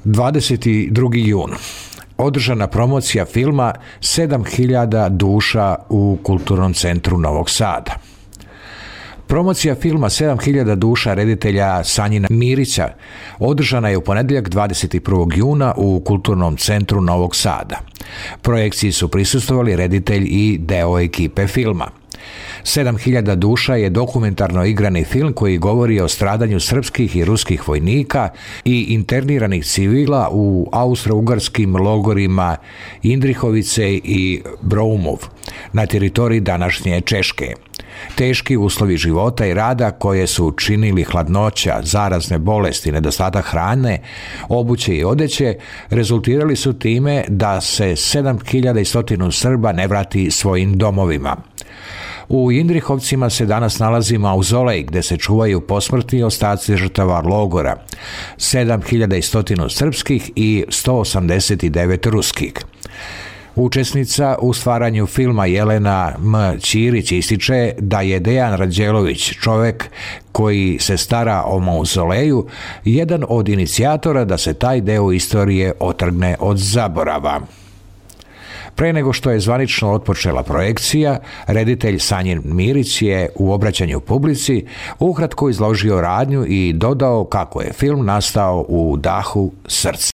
22. jun. Održana promocija filma 7000 duša u Kulturnom centru Novog Sada. Promocija filma 7000 duša reditelja Sanjina Mirića održana je u ponedjeljak 21. juna u Kulturnom centru Novog Sada. Projekciji su prisustvovali reditelj i deo ekipe filma. 7000 duša je dokumentarno igrani film koji govori o stradanju srpskih i ruskih vojnika i interniranih civila u austro-ugarskim logorima Indrihovice i Broumov na teritoriji današnje Češke. Teški uslovi života i rada koje su činili hladnoća, zarazne bolesti, nedostatak hrane, obuće i odeće, rezultirali su time da se 7100 Srba ne vrati svojim domovima. U Indrihovcima se danas nalazi mauzolej gde se čuvaju posmrtni ostaci žrtava logora, 7100 srpskih i 189 ruskih. Učesnica u stvaranju filma Jelena M. Ćirić ističe da je Dejan Rađelović, čovek koji se stara o mauzoleju, jedan od inicijatora da se taj deo istorije otrgne od zaborava. Pre nego što je zvanično otpočela projekcija, reditelj Sanjin Mirić je u obraćanju publici ukratko izložio radnju i dodao kako je film nastao u dahu srca.